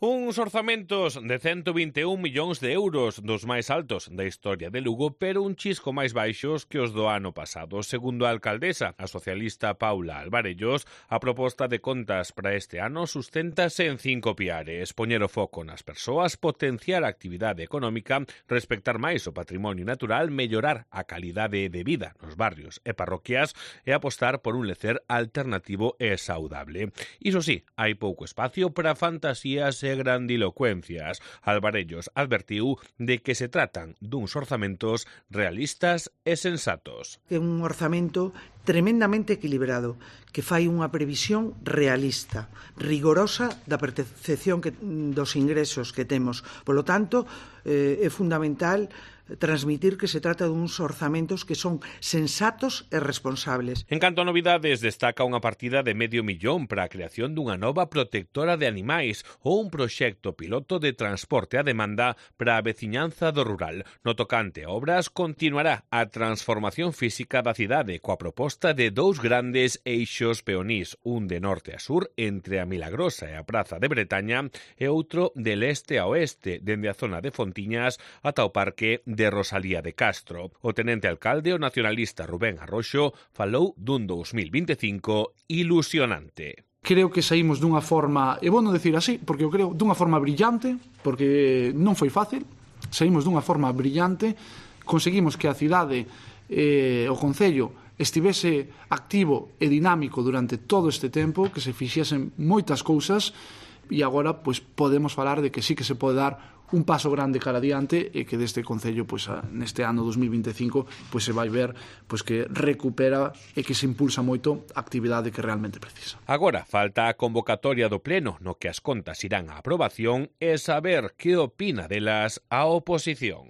Uns orzamentos de 121 millóns de euros, dos máis altos da historia de Lugo, pero un chisco máis baixos que os do ano pasado. Segundo a alcaldesa, a socialista Paula Alvarellos, a proposta de contas para este ano susténtase en 5 piares: poñer o foco nas persoas, potenciar a actividade económica, respectar máis o patrimonio natural, mellorar a calidade de vida nos barrios e parroquias e apostar por un lecer alternativo e saudable. Iso sí, hai pouco espacio para fantasías e grandilocuencias. Alvarellos advertiu de que se tratan duns orzamentos realistas e sensatos. É un orzamento tremendamente equilibrado, que fai unha previsión realista, rigorosa da percepción dos ingresos que temos. Polo tanto, é fundamental transmitir que se trata duns orzamentos que son sensatos e responsables. En canto a novidades, destaca unha partida de $500,000 para a creación dunha nova protectora de animais ou un proxecto piloto de transporte a demanda para a veciñanza do rural. No tocante a obras, continuará a transformación física da cidade coa proposta de 2 grandes eixos peonís, un de norte a sur entre a Milagrosa e a Praza de Bretaña e outro de leste a oeste, dende a zona de Fontiñas ata o parque de Rosalía de Castro. O tenente alcalde, o nacionalista Rubén Arroxo, falou dun 2025 ilusionante. Creo que saímos dunha forma, e vou non decir así, porque eu creo dunha forma brillante, porque non foi fácil, saímos dunha forma brillante, conseguimos que a cidade o concello estivese activo e dinámico durante todo este tempo, que se fixesen moitas cousas, e agora pois podemos falar de que sí que se pode dar un paso grande cara adiante e que deste concello pois neste ano 2025 pois se vai ver pois que recupera e que se impulsa moito a actividade que realmente precisa. Agora falta a convocatoria do pleno no que as contas irán á aprobación e saber que opina delas a oposición.